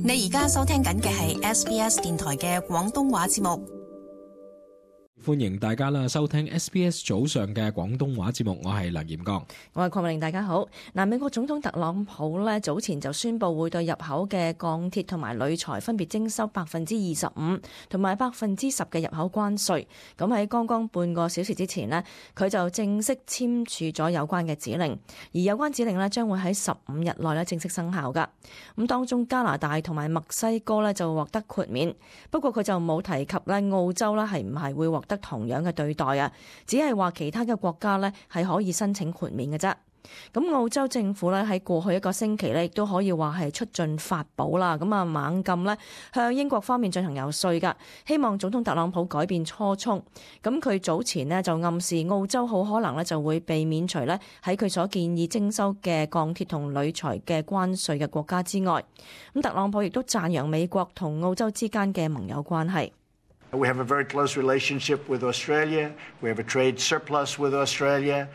你而家收聽緊嘅係 SBS 電台嘅廣東話節目。歡迎大家啦，收聽 SBS 早上嘅廣東話節目，我係梁炎剛，我係鄺美玲，大家好。美國總統特朗普早前就宣布會對入口嘅鋼鐵同埋鋁材分別徵收25%同埋10%嘅入口關稅。咁喺剛剛半個小時之前呢，佢就正式簽署咗有關嘅指令，而有關指令呢將會喺15日內正式生效噶。咁當中加拿大同埋墨西哥呢就獲得豁免，不過佢就冇提及澳洲呢係唔係會獲得同樣嘅對待啊，只係話其他嘅國家呢係可以申請豁免嘅啫。咁澳洲政府呢喺過去一個星期呢亦都可以話係出盡法寶啦，咁啊猛咁呢向英國方面進行遊說噶，希望總統特朗普改變初衷。咁佢早前呢就暗示澳洲好可能呢就會被免除呢喺佢所建議徵收嘅鋼鐵同鋁材嘅關稅嘅國家之外。咁特朗普亦都讚揚美國同澳洲之間嘅盟友關係。We have a very close relationship with Australia. We have a trade surplus with Australia.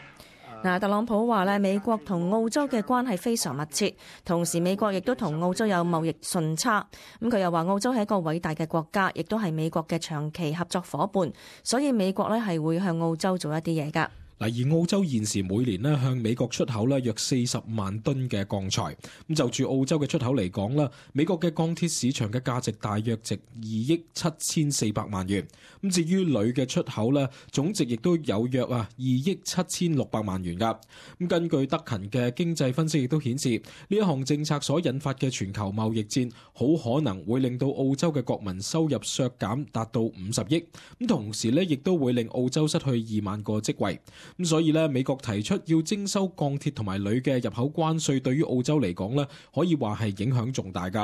特朗普話咧，美國同澳洲嘅關係非常密切，同時美國亦都同澳洲有貿易順差。咁佢又話澳洲係一個偉大嘅國家，亦都係美國嘅長期合作夥伴，所以美國咧係會向澳洲做一啲嘢㗎。而澳洲現時每年向美國出口約40萬噸嘅鋼材。咁就住澳洲嘅出口嚟講啦，美國嘅鋼鐵市場嘅價值大約值2億7400萬元。咁至於鋁嘅出口咧，總值亦都有約2億7600萬元噶。咁根據德勤嘅經濟分析亦都顯示，呢一項政策所引發嘅全球貿易戰，好可能會令到澳洲嘅國民收入削減達到50億。咁同時咧，亦都會令澳洲失去2萬個職位。咁所以咧，美國提出要徵收鋼鐵同埋鋁嘅入口關稅，對於澳洲嚟講咧，可以話係影響重大噶。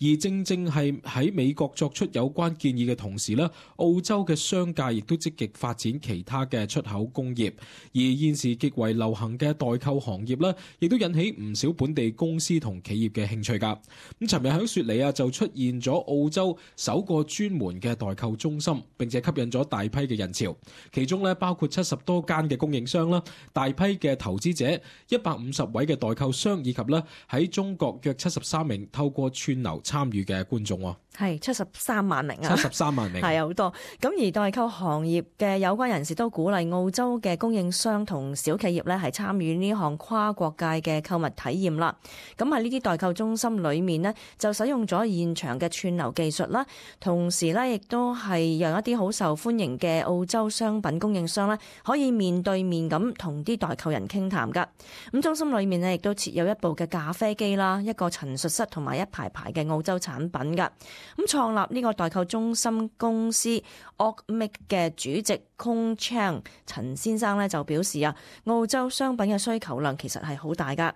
而正正係喺美國作出有關建議嘅同時咧，澳洲嘅商界亦都積極發展其他嘅出口工業。而現時極為流行嘅代購行業咧，亦都引起唔少本地公司同企業嘅興趣噶。咁尋日喺雪梨就出現咗澳洲首個專門嘅代購中心，並且吸引咗大批嘅人潮，其中咧包括70多間嘅供應商啦，大批嘅投資者，150位嘅代購商，以及咧喺中國約73名透過串流參與嘅觀眾。係73萬名啊！73萬名係好多。咁而代購行業嘅有關人士都鼓勵澳洲嘅供應商同小企業咧係參與呢項跨國界嘅購物體驗啦。咁喺呢啲代購中心裏面呢，就使用咗現場嘅串流技術啦，同時咧亦都係讓一啲好受歡迎嘅澳洲商品供應商咧可以面對面咁同啲代購人傾談噶。咁中心裏面呢，亦都設有一部嘅咖啡機啦，一個陳述室同埋一排排嘅澳洲產品噶。咁創立呢個代購中心公司 Oakmake 嘅主席 Kong Chang 陳先生呢就表示澳洲商品嘅需求量其實係好大噶。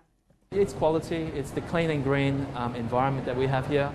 It's quality, it's the clean and green environment that we have here.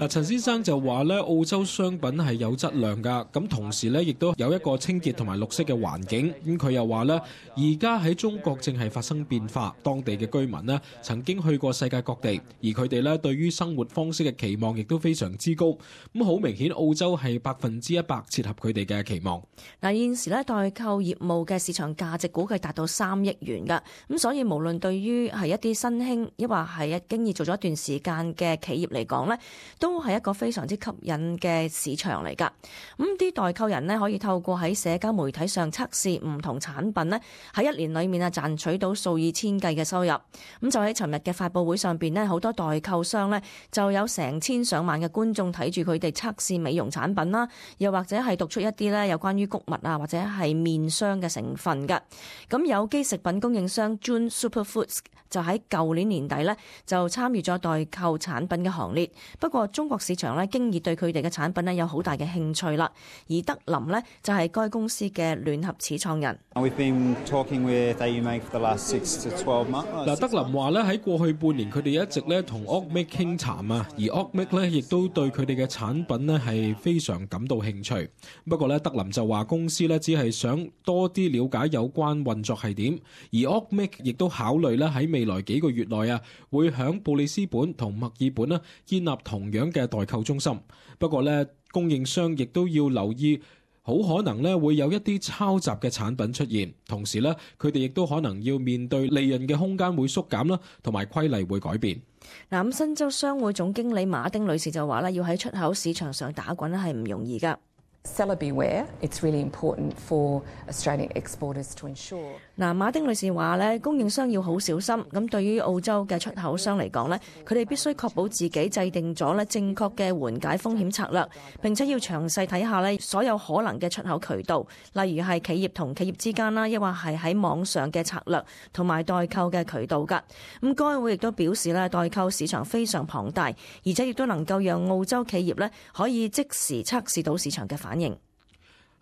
陳先生就話咧，澳洲商品係有質量噶，咁同時咧亦都有一個清潔同埋綠色嘅環境。咁佢又話咧，而家喺中國正係發生變化，當地嘅居民咧曾經去過世界各地，而佢哋咧對於生活方式嘅期望亦都非常之高。咁好明顯，澳洲係100%切合佢哋嘅期望。現時咧代購業務嘅市場價值估計達到3億元噶，咁所以無論對於係一啲新興，抑或係經已做咗一段時間嘅企業嚟講咧，都係一個非常之吸引嘅市場嚟㗎。咁啲代購人呢，可以透過喺社交媒體上測試唔同產品呢，喺1年裏面賺取到數以千計嘅收入。咁就喺尋日嘅發佈會上邊呢，好多代購商呢，就有成千上萬嘅觀眾睇住佢哋測試美容產品啦，又或者係讀出一啲呢有關於穀物或者係面霜嘅成分㗎。咁有機食品供應商 June Superfoods 就喺舊年年底呢，就參與咗代購產品嘅行列。不過中國市場經已對佢哋嘅產品有好大嘅興趣啦。而德林呢，就係該公司嘅聯合始創人。We've been talking with Oakmake for the last 6 to 12 months. 德林話咧，喺過去半年佢哋一直咧同 Oakmake 傾談啊，而 Oakmake 咧亦都對佢哋嘅產品咧係非常感到興趣。不過咧，德林就話公司咧只係想多啲了解有關運作係點，而 Oakmake 亦都考慮咧喺未來幾個月內會響布里斯本同墨爾本建立同樣嘅代購中心。不過咧，供應商亦都要留意好可能咧會有一啲抄襲嘅產品出現，同時咧佢哋亦都可能要面對利潤嘅空間會縮減啦，同埋規例會改變。嗱，咁新州商會總經理馬丁女士就話咧，要喺出口市場上打滾咧係唔容易㗎。Seller beware. It's really important for Australian exporters to ensure. 嗱，馬丁女士話咧，供應商要好小心。咁對於澳洲嘅出口商嚟講咧，佢哋必須確保自己制定咗咧正確嘅緩解風險策略，並且要詳細睇下咧所有可能嘅出口渠道，例如係企業同企業之間啦，抑或係喺網上嘅策略同埋代購嘅渠道㗎。咁該會亦都表示咧，代購市場非常龐大，而且亦都能夠讓澳洲企業咧可以即時測試到市場嘅反應。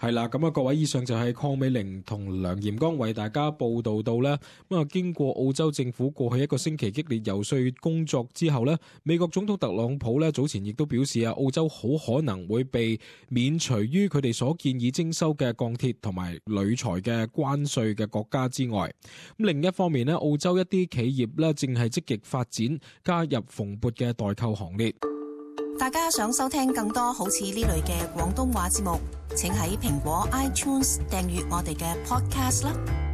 係啦，咁啊，各位，以上就係鄺美玲同梁炎剛為大家報道到咧。咁啊，經過澳洲政府過去一個星期激烈游說工作之後咧，美國總統特朗普咧早前亦都表示啊，澳洲好可能會被免除於佢哋所建議徵收嘅鋼鐵同埋鋁材嘅關稅嘅國家之外。咁另一方面咧，澳洲一啲企業咧正係積極發展加入蓬勃嘅代購行列。大家想收聽更多好似呢類嘅廣東話節目，請喺蘋果 iTunes 訂閱我哋嘅 podcast 啦。